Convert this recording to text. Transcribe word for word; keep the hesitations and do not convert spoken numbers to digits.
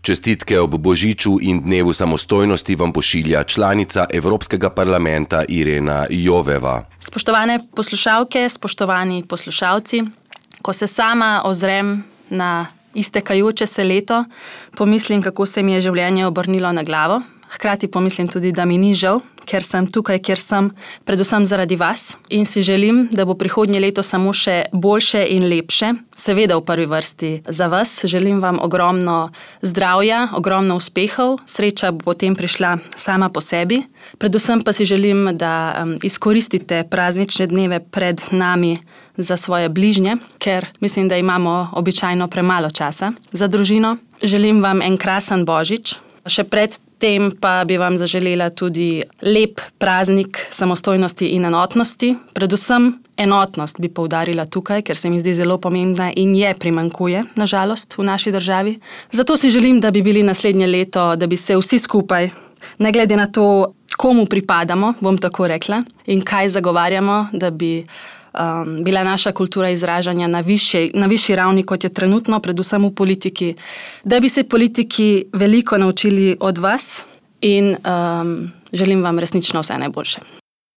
Čestitke ob Božiču in dnevu samostojnosti vam pošilja članica Evropskega parlamenta Irena Joveva. Spoštovane poslušalke, spoštovani poslušalci, ko se sama ozrem na iztekajoče se leto, pomislim, kako se mi je življenje obrnilo na glavo. Hkrati pomislim tudi, da mi ni žal, ker sem tukaj, kjer sem, predvsem zaradi vas. In si želim, da bo prihodnje leto samo še boljše in lepše. Seveda v prvi vrsti za vas. Želim vam ogromno zdravja, ogromno uspehov. Sreča bo potem prišla sama po sebi. Predvsem pa si želim, da um, izkoristite praznične dneve pred nami za svoje bližnje, ker mislim, da imamo običajno premalo časa za družino. Želim vam en krasen Božič. Še pred tem pa bi vam zaželela tudi lep praznik samostojnosti in enotnosti. Predvsem enotnost bi poudarila tukaj, ker se mi zdi zelo pomembna in je primanjkuje, na žalost, v naši državi. Zato si želim, da bi bili naslednje leto, da bi se vsi skupaj, ne glede na to, komu pripadamo, bom tako rekla, in kaj zagovarjamo, da bi Um, bila naša kultura izražanja na višji, na višji ravni, kot je trenutno, predvsem v politiki, da bi se politiki veliko naučili od vas in um, želim vam resnično vse najboljše.